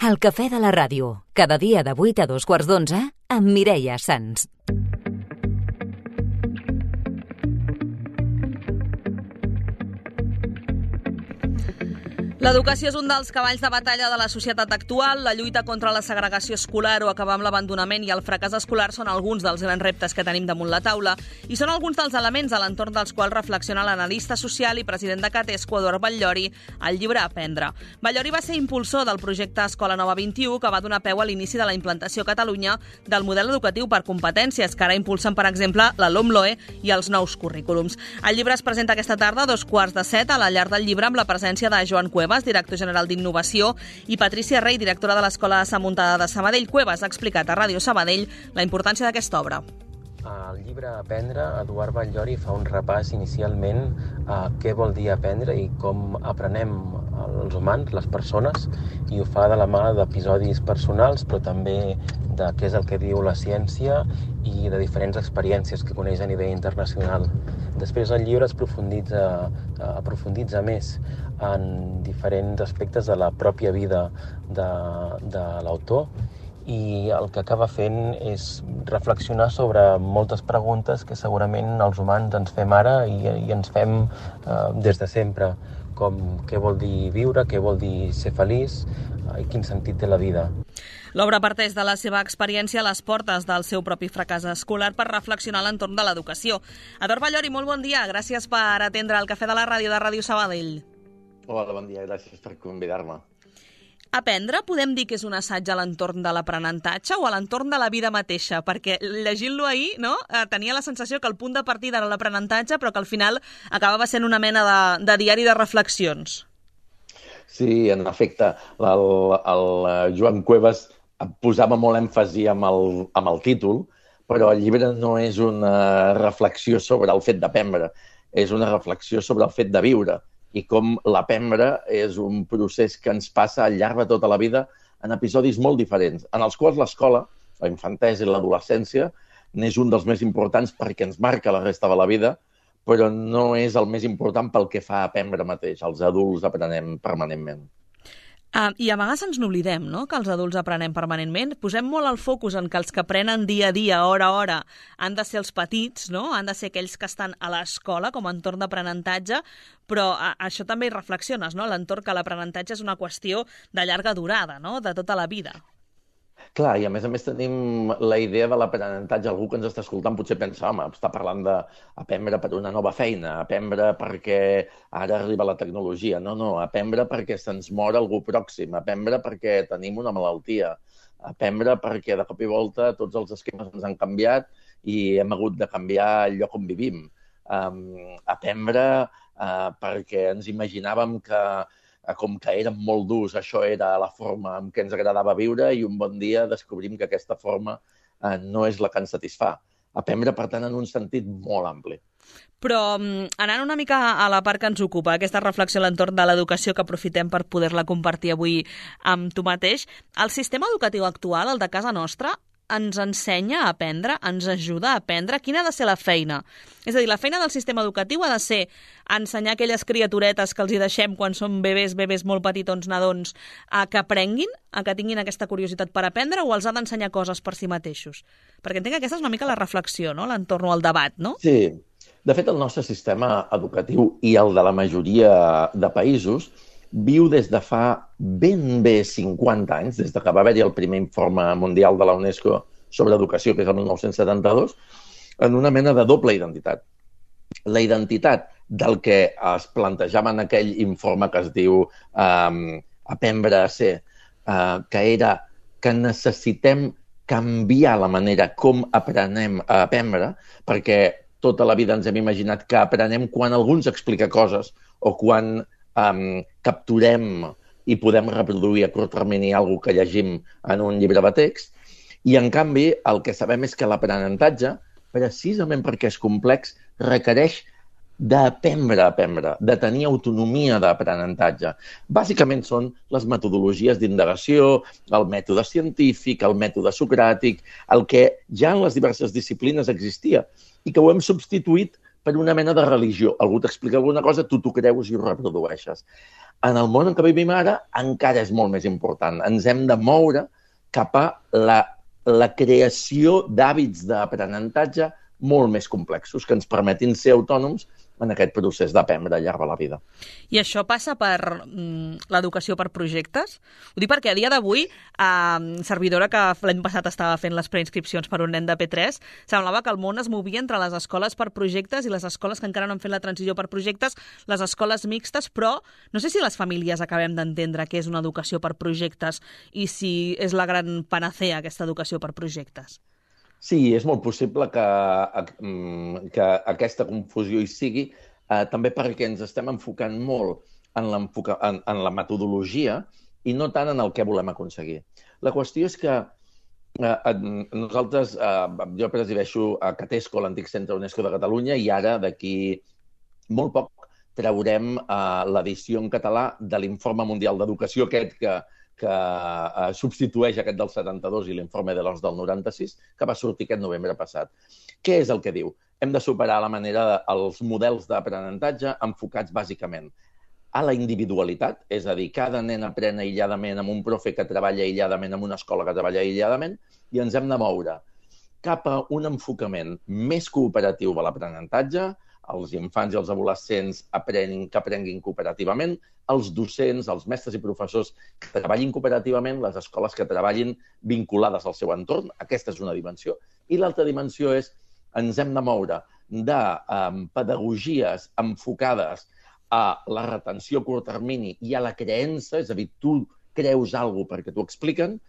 El cafè de la ràdio, cada dia de 8 a 2:15 amb Mireia Sans. L'educació és un dels cavalls de batalla de la societat actual. La lluita contra la segregació escolar o acabar amb l'abandonament i el fracàs escolar són alguns dels grans reptes que tenim damunt la taula i són alguns dels elements a l'entorn dels quals reflexiona l'analista social i president de Catesco, Eduard Batllori, al llibre Aprendre. Batllori va ser impulsor del projecte Escola Nova 21, que va donar peu a l'inici de la implantació a Catalunya del model educatiu per competències, que ara impulsen, per exemple, la LOMLOE i els nous currículums. El llibre es presenta aquesta tarda a 6:45 a la Llar del Llibre amb la presència de Joan Cuevas, director general d'Innovació, i Patrícia Rey, directora de l'Escola de Sant Muntada de Sabadell. Cuevas ha explicat a Ràdio Sabadell la importància d'aquesta obra. Al llibre Aprendre, Eduard Batllori fa un repàs inicialment a què vol dir aprendre i com aprenem els humans, les persones, i ho fa de la mà d'episodis personals, però també de què és el que diu la ciència i de diferents experiències que coneix a nivell internacional. Després el llibre es aprofunditza més en diferents aspectes de la pròpia vida de l'autor, i el que acaba fent és reflexionar sobre moltes preguntes que segurament els humans ens fem ara i ens fem des de sempre, com què vol dir viure, què vol dir ser feliç i quin sentit té la vida. L'obra parteix de la seva experiència a les portes del seu propi fracàs escolar per reflexionar a l'entorn de l'educació. Eduard Batllori, molt bon dia. Gràcies per atendre el cafè de la ràdio de Ràdio Sabadell. Hola, bon dia. Gràcies per convidar-me. Aprendre podem dir que és un assaig a l'entorn de l'aprenentatge o a l'entorn de la vida mateixa? Perquè llegint-lo ahir, no, tenia la sensació que el punt de partida era l'aprenentatge, però que al final acabava sent una mena de diari de reflexions. Sí, en efecte, el Joan Cuevas posava molt èmfasi amb el títol, però el llibre no és una reflexió sobre el fet d'aprendre, és una reflexió sobre el fet de viure i com l'aprendre és un procés que ens passa al llarg de tota la vida en episodis molt diferents, en els quals l'escola, la infantesa i l'adolescència, n'és un dels més importants perquè ens marca la resta de la vida, però no és el més important pel que fa a aprendre mateix. Els adults aprenem permanentment. I a vegades ens n'oblidem, no?, que els adults aprenem permanentment. Posem molt el focus en que els que aprenen dia a dia, hora a hora, han de ser els petits, no?, han de ser aquells que estan a l'escola com a entorn d'aprenentatge, però això també hi reflexiones, no?, l'entorn que l'aprenentatge és una qüestió de llarga durada, no?, de tota la vida. Clar, i a més tenim la idea de l'aprenentatge. Algú que ens està escoltant potser pensa, home, està parlant d'aprendre per una nova feina, aprendre perquè ara arriba la tecnologia. No, aprendre perquè se'ns mor algú pròxim, aprendre perquè tenim una malaltia, aprendre perquè de cop i volta tots els esquemes ens han canviat i hem hagut de canviar el lloc on vivim. Aprendre perquè ens imaginàvem que com que érem molt durs, això era la forma en què ens agradava viure i un bon dia descobrim que aquesta forma no és la que ens satisfà. Aprendre, per tant, en un sentit molt ampli. Però anant una mica a la part que ens ocupa, aquesta reflexió a l'entorn de l'educació que aprofitem per poder-la compartir avui amb tu mateix, el sistema educatiu actual, el de casa nostra, ens ensenya a aprendre, ens ajuda a aprendre? Quina ha de ser la feina? És a dir, la feina del sistema educatiu ha de ser ensenyar aquelles criaturetes que els hi deixem quan són bebès molt petitons, nadons, que aprenguin, que tinguin aquesta curiositat per aprendre, o els ha d'ensenyar coses per si mateixos? Perquè entenc que aquesta és una mica la reflexió, no?, l'entorn al debat, no? Sí. De fet, el nostre sistema educatiu i el de la majoria de països viu des de fa ben bé 50 anys, des que va haver-hi el primer informe mundial de la UNESCO sobre educació, que és el 1972, en una mena de doble identitat. La identitat del que es plantejava en aquell informe que es diu Aprendre a ser, que era que necessitem canviar la manera com aprenem a aprendre, perquè tota la vida ens hem imaginat que aprenem quan algú ens explica coses o quan capturem i podem reproduir a curt termini alguna que llegim en un llibre de text. I, en canvi, el que sabem és que l'aprenentatge, precisament perquè és complex, requereix d'aprendre a aprendre, de tenir autonomia d'aprenentatge. Bàsicament són les metodologies d'indagació, el mètode científic, el mètode socràtic, el que ja en les diverses disciplines existia i que ho hem substituït per una mena de religió. Algú t'explica alguna cosa, tu t'ho creus i ho reprodueixes. En el món en què vivim ara encara és molt més important. Ens hem de moure cap a la creació d'hàbits d'aprenentatge molt més complexos, que ens permetin ser autònoms en aquest procés d'aprendre al llarg de la vida. I això passa per l'educació per projectes? Ho dic perquè a dia d'avui, servidora que l'any passat estava fent les preinscripcions per un nen de P3, semblava que el món es movia entre les escoles per projectes i les escoles que encara no han fet la transició per projectes, les escoles mixtes, però no sé si les famílies acabem d'entendre què és una educació per projectes i si és la gran panacea aquesta educació per projectes. Sí, és molt possible que aquesta confusió hi sigui, també perquè ens estem enfocant molt en la metodologia i no tant en el que volem aconseguir. La qüestió és que nosaltres, jo presideixo a Catesco, l'antic Centre UNESCO de Catalunya, i ara, d'aquí molt poc, traurem l'edició en català de l'Informe Mundial d'Educació, aquest que substitueix aquest del 72 i l'informe de l'OCDE del 96, que va sortir aquest novembre passat. Què és el que diu? Hem de superar els models d'aprenentatge enfocats bàsicament a la individualitat, és a dir, cada nen aprèn aïlladament amb un profe que treballa aïlladament, amb una escola que treballa aïlladament, i ens hem de moure cap a un enfocament més cooperatiu de l'aprenentatge. Els infants i els adolescents que aprenguin cooperativament, els docents, els mestres i professors que treballin cooperativament, les escoles que treballin vinculades al seu entorn. Aquesta és una dimensió. I l'altra dimensió és ens hem de moure de pedagogies enfocades a la retenció a curt termini i a la creença, és a dir, tu creus alguna cosa perquè t'ho expliquen,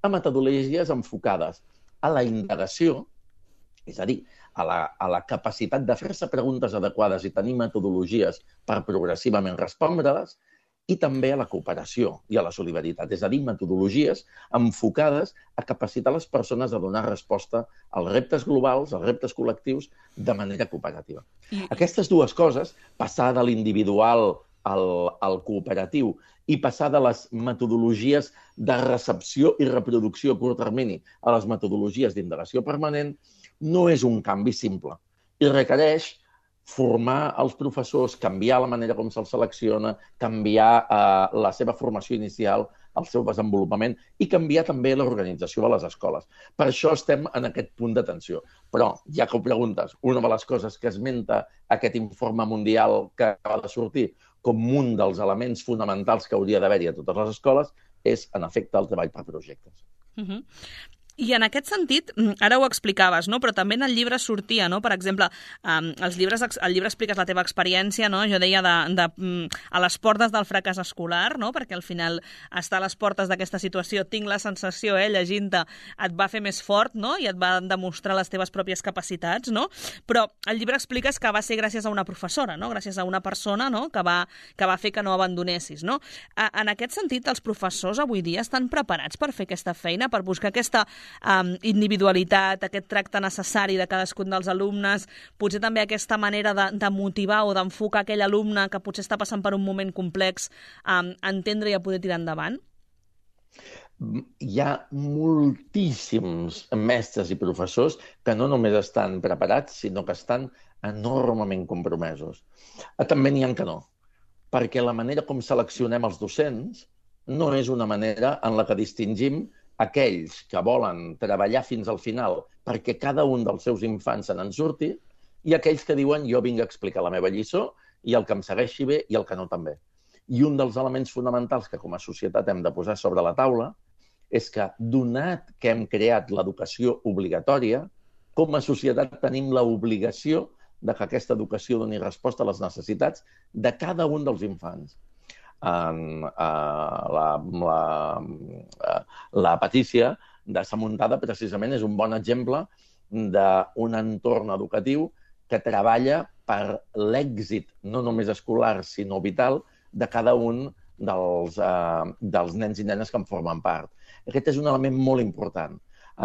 a metodologies enfocades a la indagació, és a dir, a la capacitat de fer-se preguntes adequades i tenir metodologies per progressivament respondre-les, i també a la cooperació i a la solidaritat, és a dir, metodologies enfocades a capacitar les persones a donar resposta als reptes globals, als reptes col·lectius, de manera cooperativa. Aquestes dues coses, passar de l'individual al cooperatiu i passar de les metodologies de recepció i reproducció a curt termini a les metodologies d'indagació permanent, no és un canvi simple i requereix formar els professors, canviar la manera com se'ls selecciona, canviar la seva formació inicial, el seu desenvolupament i canviar també l'organització de les escoles. Per això estem en aquest punt d'atenció. Però, ja que ho preguntes, una de les coses que esmenta aquest informe mundial que acaba de sortir com un dels elements fonamentals que hauria d'haver-hi a totes les escoles és, en efecte, el treball per projectes. I en aquest sentit, ara ho explicaves, no? Però també en el llibre sortia, no? Per exemple, al llibre expliques la teva experiència, no? Jo deia a les portes del fracàs escolar, no? Perquè al final estar a les portes d'aquesta situació, tinc la sensació, llegint-te, et va fer més fort, no? I et va demostrar les teves pròpies capacitats, no? Però al llibre expliques que va ser gràcies a una professora, no? Gràcies a una persona, no? Que va fer que no abandonessis, no? En aquest sentit, els professors avui dia estan preparats per fer aquesta feina, per buscar aquesta individualitat, aquest tracte necessari de cadascun dels alumnes, potser també aquesta manera de motivar o d'enfocar aquell alumne que potser està passant per un moment complex, entendre i a poder tirar endavant? Hi ha moltíssims mestres i professors que no només estan preparats, sinó que estan enormement compromesos. També n'hi ha que no, perquè la manera com seleccionem els docents no és una manera en la que distingim aquells que volen treballar fins al final perquè cada un dels seus infants se n'en surti i aquells que diuen jo vinc a explicar la meva lliçó i el que em segueixi bé i el que no també. I un dels elements fonamentals que com a societat hem de posar sobre la taula és que, donat que hem creat l'educació obligatòria, com a societat tenim l'obligació de que aquesta educació doni resposta a les necessitats de cada un dels infants. La Patícia de Sa Muntada precisament és un bon exemple d'un entorn educatiu que treballa per l'èxit, no només escolar, sinó vital, de cada un dels nens i nenes que en formen part. Aquest és un element molt important.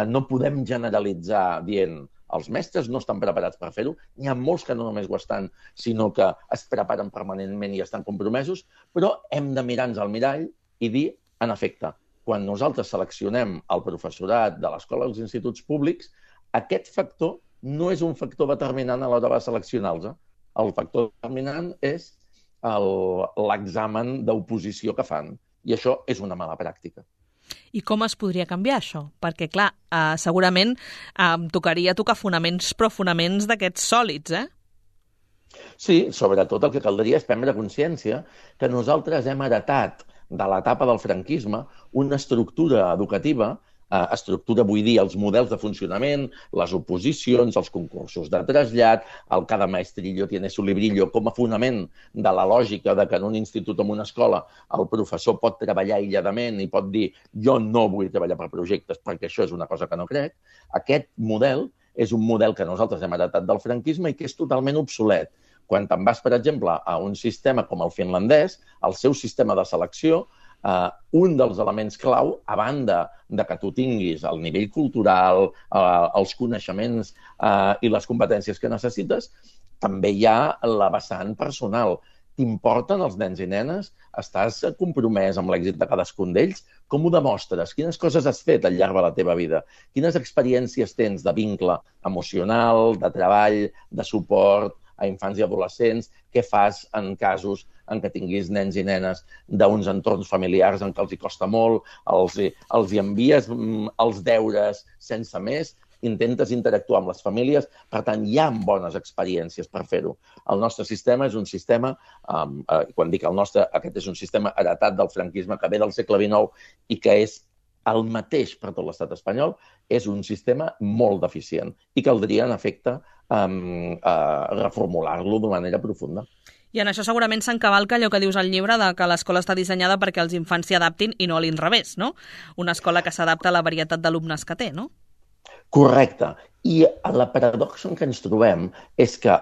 No podem generalitzar dient els mestres no estan preparats per fer-ho. N'hi ha molts que no només ho estan, sinó que es preparen permanentment i estan compromesos, però hem de mirar-nos al mirall i dir, en efecte, quan nosaltres seleccionem el professorat de l'escola dels instituts públics, aquest factor no és un factor determinant a l'hora de seleccionar-los. el factor determinant és l'examen d'oposició que fan. I això és una mala pràctica. I com es podria canviar això? Perquè, clar, segurament tocaria tocar fonaments, però fonaments d'aquests sòlids, Sí, sobretot el que caldria és prendre consciència que nosaltres hem heretat de l'etapa del franquisme una estructura educativa, estructura vull dir els models de funcionament, les oposicions, els concursos de trasllat, el cada maestrillo tiene su librillo com a fonament de la lògica de que en un institut o en una escola el professor pot treballar aïlladament i pot dir jo no vull treballar per projectes perquè això és una cosa que no crec. Aquest model és un model que nosaltres hem heretat del franquisme i que és totalment obsolet. Quan te'n vas, per exemple, a un sistema com el finlandès, el seu sistema de selecció, un dels elements clau, a banda de que tu tinguis el nivell cultural, els coneixements i les competències que necessites, també hi ha la vessant personal. T'importen els nens i nenes? Estàs compromès amb l'èxit de cadascun d'ells? Com ho demostres? Quines coses has fet al llarg de la teva vida? Quines experiències tens de vincle emocional, de treball, de suport a infants i adolescents? Què fas en casos en què tinguis nens i nenes d'uns entorns familiars en què els hi costa molt, els hi envies els deures sense més, intentes interactuar amb les famílies, per tant, hi ha bones experiències per fer-ho. El nostre sistema és un sistema, quan dic el nostre, aquest és un sistema heretat del franquisme que ve del segle XIX i que és el mateix per tot l'estat espanyol, és un sistema molt deficient i caldria, en efecte, reformular-lo d'una manera profunda. I en això segurament s'encavalca allò que dius al llibre de que l'escola està dissenyada perquè els infants s'hi adaptin i no a l'inrevés, no? Una escola que s'adapta a la varietat d'alumnes que té, no? Correcte. I la paradoxa en què ens trobem és que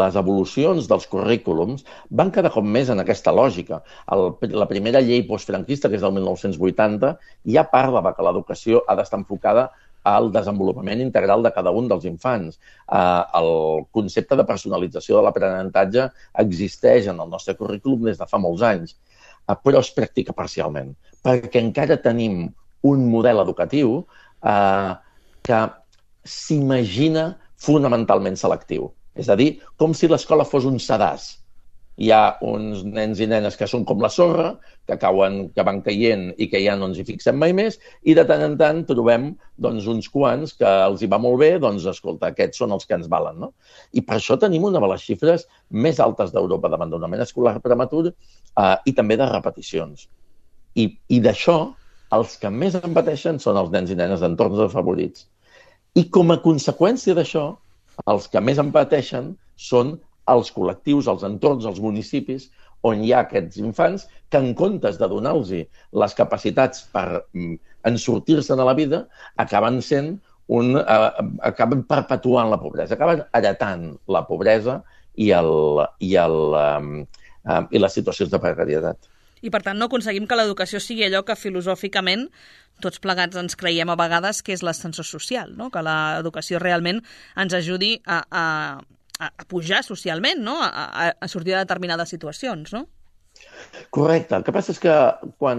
les evolucions dels currículums van cada cop més en aquesta lògica. La primera llei postfranquista, que és del 1980, ja parla que l'educació ha d'estar enfocada al desenvolupament integral de cada un dels infants. El concepte de personalització de l'aprenentatge existeix en el nostre currículum des de fa molts anys, però es practica parcialment, perquè encara tenim un model educatiu que s'imagina fonamentalment selectiu. És a dir, com si l'escola fos un sedàs. Hi ha uns nens i nenes que són com la sorra, que van caient i que ja no ens hi fixem mai més, i de tant en tant trobem uns quants que els hi va molt bé, escolta, aquests són els que ens valen, no? I per això tenim una de les xifres més altes d'Europa d'abandonament escolar prematur i també de repeticions. I d'això, els que més en pateixen són els nens i nenes d'entorns desafavorits. I com a conseqüència d'això, els que més en pateixen són els col·lectius, els entorns, els municipis, on hi ha aquests infants que en comptes de donar-los les capacitats per ensortir-se'n a la vida, acaben perpetuant la pobresa, acaben heretant la pobresa i les situacions de precarietat. I, per tant, no aconseguim que l'educació sigui allò que filosòficament tots plegats ens creiem a vegades que és l'ascensor social, no? Que l'educació realment ens ajudi a pujar socialment, no? A sortir de determinades situacions, no? Correcte. El que passa és que quan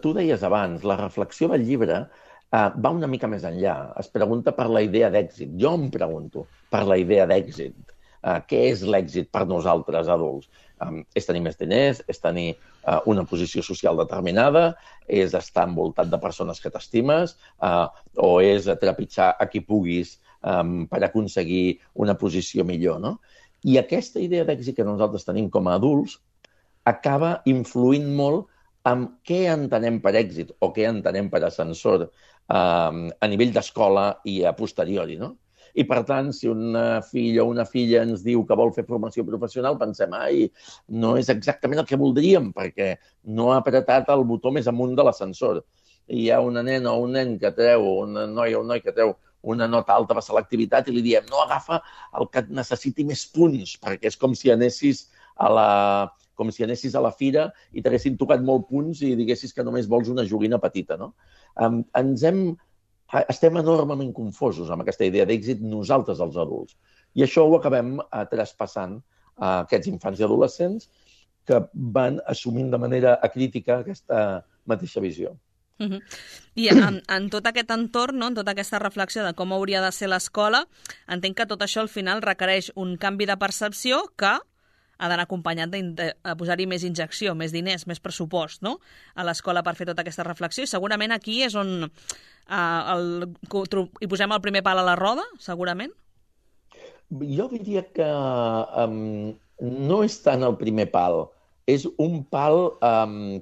tu deies abans, la reflexió del llibre va una mica més enllà. Es pregunta per la idea d'èxit. Jo em pregunto per la idea d'èxit. Què és l'èxit per nosaltres adults? És tenir més diners, és tenir una posició social determinada, és estar envoltat de persones que t'estimes, o és trepitjar a qui puguis per aconseguir una posició millor, no? I aquesta idea d'èxit que nosaltres tenim com a adults acaba influint molt en què entenem per èxit o què entenem per ascensor a nivell d'escola i a posteriori, no? I, per tant, si una filla o una filla ens diu que vol fer formació professional, pensem, no és exactament el que voldríem, perquè no ha apretat el botó més amunt de l'ascensor. I hi ha una nena o un nen que treu, una noia o un noi que treu una nota alta de selectivitat i li diem, no, agafa el que et necessiti més punts, perquè és com si anessis a la fira i t'haguessin tocat molt punts i diguessis que només vols una joguina petita, no? Estem enormement confosos amb aquesta idea d'èxit nosaltres, els adults. I això ho acabem traspassant a aquests infants i adolescents que van assumint de manera acrítica aquesta mateixa visió. I en tot aquest entorn, no? En tota aquesta reflexió de com hauria de ser l'escola, entenc que tot això al final requereix un canvi de percepció que ha d'anar acompanyat de posar-hi més injecció, més diners, més pressupost, no? A l'escola per fer tota aquesta reflexió. I segurament aquí és on hi posem el primer pal a la roda, segurament. Jo diria que no és tant el primer pal, és un pal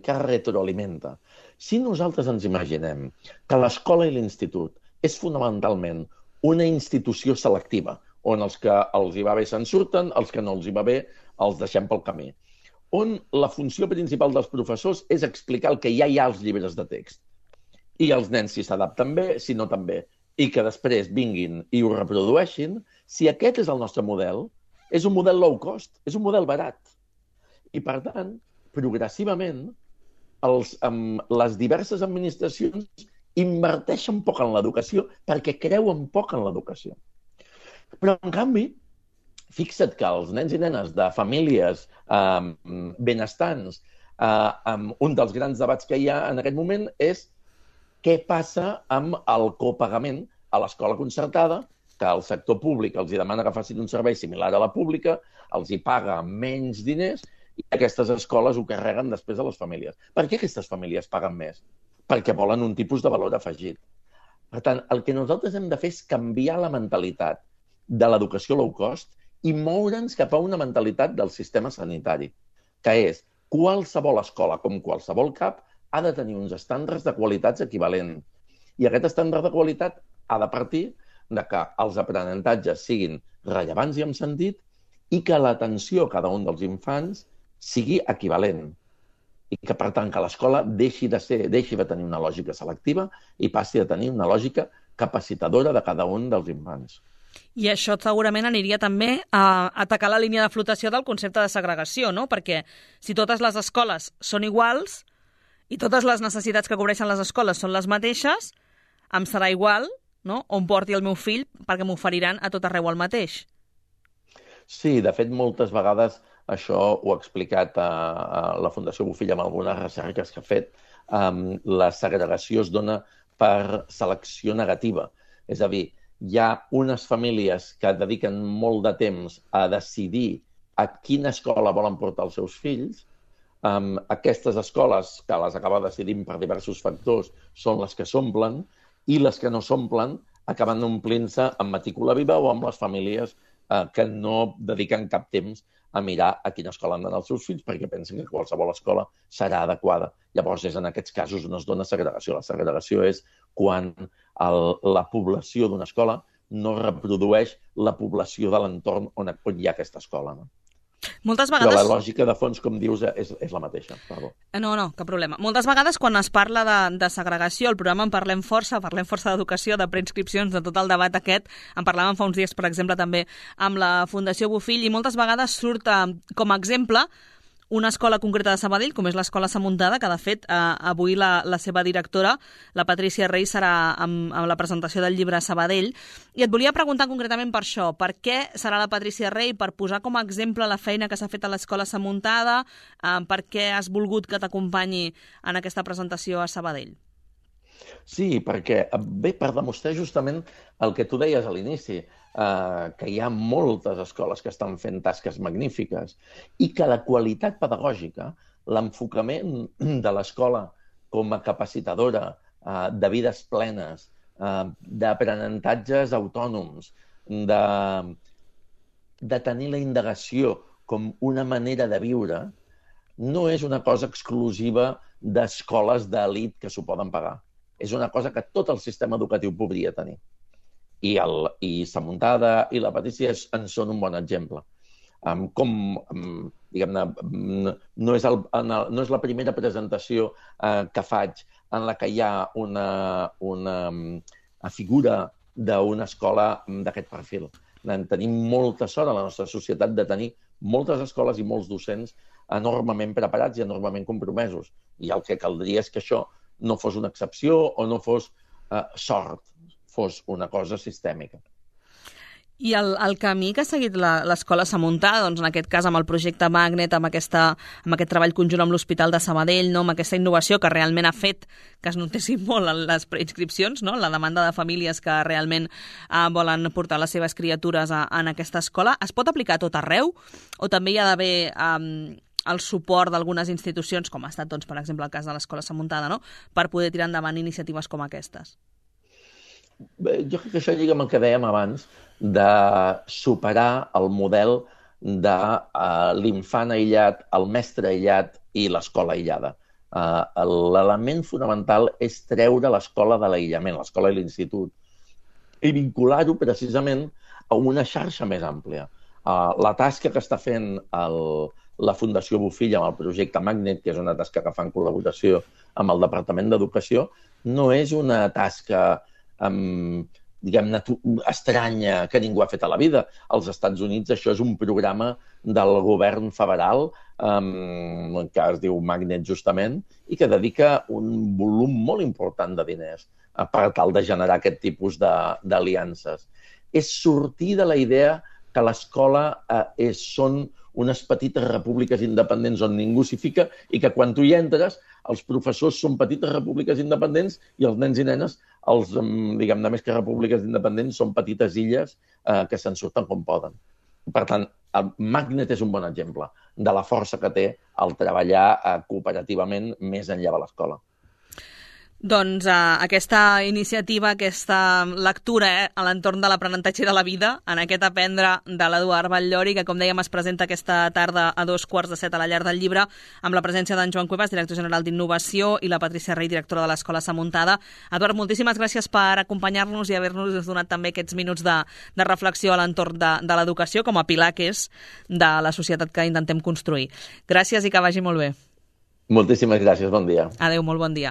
que retroalimenta. Si nosaltres ens imaginem que l'escola i l'institut és fonamentalment una institució selectiva, on els que els hi va bé se'n surten, els que no els hi va bé els deixem pel camí, on la funció principal dels professors és explicar el que ja hi ha als llibres de text. I els nens si s'adapten bé, si no també, i que després vinguin i ho reprodueixin, si aquest és el nostre model, és un model low cost, és un model barat. I, per tant, progressivament, les diverses administracions inverteixen poc en l'educació perquè creuen poc en l'educació. Però, en canvi, fixa't que els nens i nenes de famílies benestants, un dels grans debats que hi ha en aquest moment és què passa amb el copagament a l'escola concertada, que el sector públic els demana que facin un servei similar a la pública, els hi paga menys diners i aquestes escoles ho carreguen després a les famílies. Per què aquestes famílies paguen més? Perquè volen un tipus de valor afegit. Per tant, el que nosaltres hem de fer és canviar la mentalitat de l'educació low cost i moure'ns cap a una mentalitat del sistema sanitari, que és qualsevol escola, com qualsevol CAP, ha de tenir uns estàndards de qualitats equivalents. I aquest estàndard de qualitat ha de partir de que els aprenentatges siguin rellevants i amb sentit i que l'atenció a cada un dels infants sigui equivalent. I que, per tant, que l'escola deixi de tenir una lògica selectiva i passi a tenir una lògica capacitadora de cada un dels infants. I això segurament aniria també a atacar la línia de flotació del concepte de segregació, no? Perquè si totes les escoles són iguals i totes les necessitats que cobreixen les escoles són les mateixes, em serà igual, no?, on porti el meu fill perquè m'oferiran a tot arreu el mateix. Sí, de fet, moltes vegades això ho ha explicat a la Fundació Bofill amb algunes recerques que ha fet. La segregació es dona per selecció negativa. És a dir, hi ha unes famílies que dediquen molt de temps a decidir a quina escola volen portar els seus fills. Aquestes escoles, que les acaba decidint per diversos factors, són les que s'omplen, i les que no s'omplen acaben omplint-se amb matrícula viva o amb les famílies que no dediquen cap temps a mirar a quina escola han d'anar els seus fills perquè pensen que qualsevol escola serà adequada. Llavors, és en aquests casos on es dona segregació. La segregació és quan la població d'una escola no reprodueix la població de l'entorn on hi ha aquesta escola. No? Moltes vegades... Però la lògica de fons, com dius, és la mateixa. Perdó. No, cap problema. Moltes vegades, quan es parla de segregació, al programa en parlem força d'educació, de preinscripcions, de tot el debat aquest. En parlàvem fa uns dies, per exemple, també amb la Fundació Bofill, i moltes vegades surt com a exemple una escola concreta de Sabadell, com és l'Escola Samuntada, que de fet avui la seva directora, la Patrícia Rey, serà amb la presentació del llibre Sabadell. I et volia preguntar concretament per això. Per què serà la Patrícia Rey? Per posar com a exemple la feina que s'ha fet a l'Escola Samuntada? Per què has volgut que t'acompanyi en aquesta presentació a Sabadell? Sí, perquè ve per demostrar justament el que tu deies a l'inici, que hi ha moltes escoles que estan fent tasques magnífiques i que la qualitat pedagògica, l'enfocament de l'escola com a capacitadora de vides plenes, d'aprenentatges autònoms, de tenir la indagació com una manera de viure, no és una cosa exclusiva d'escoles d'elit que s'ho poden pagar. És una cosa que tot el sistema educatiu podria tenir. I Samuntada i la Patrícia en són un bon exemple. Diguem-ne, no és la primera presentació que faig en la que hi ha una figura d'una escola d'aquest perfil. Tenim molta sort a la nostra societat de tenir moltes escoles i molts docents enormement preparats i enormement compromesos. I el que caldria és que això no fos una excepció o no fos sort, fos una cosa sistèmica. I el camí que ha seguit l'escola Samuntada, doncs en aquest cas amb el projecte Magnet, amb aquest treball conjunt amb l'Hospital de Sabadell, no? Amb aquesta innovació que realment ha fet que es notessin molt les preinscripcions, no? La demanda de famílies que realment volen portar les seves criatures en aquesta escola, es pot aplicar a tot arreu o també hi ha d'haver el suport d'algunes institucions, com ha estat, doncs, per exemple, el cas de l'escola Samuntada, no? Per poder tirar endavant iniciatives com aquestes? Jo crec que això lliga amb el que dèiem abans, de superar el model de l'infant aïllat, el mestre aïllat i l'escola aïllada. L'element fonamental és treure l'escola de l'aïllament, l'escola i l'institut, i vincular-ho precisament a una xarxa més àmplia. La tasca que està fent la Fundació Bofill amb el projecte Magnet, que és una tasca que fa en col·laboració amb el Departament d'Educació, no és una tasca diguem-ne, estranya, que ningú ha fet a la vida. Als Estats Units això és un programa del govern federal que es diu Magnet justament i que dedica un volum molt important de diners per tal de generar aquest tipus d'aliances. És sortir de la idea que l'escola són unes petites repúbliques independents on ningú s'hi fica i que quan tu hi entres els professors són petites repúbliques independents i els nens i nenes, diguem-ne més que repúbliques independents, són petites illes que se'n surten com poden. Per tant, el Magnet és un bon exemple de la força que té el treballar cooperativament més enllà de l'escola. Doncs aquesta iniciativa, aquesta lectura a l'entorn de l'aprenentatge de la vida, en aquest Aprendre de l'Eduard Batllori, que com dèiem es presenta aquesta tarda a 6:45 a la Llar del Llibre, amb la presència d'en Joan Cuevas, director general d'Innovació, i la Patrícia Rey, directora de l'Escola Samuntada. Eduard, moltíssimes gràcies per acompanyar-nos i haver-nos donat també aquests minuts de reflexió a l'entorn de l'educació com a pilar que és de la societat que intentem construir. Gràcies i que vagi molt bé. Moltíssimes gràcies, bon dia. Adéu, molt bon dia.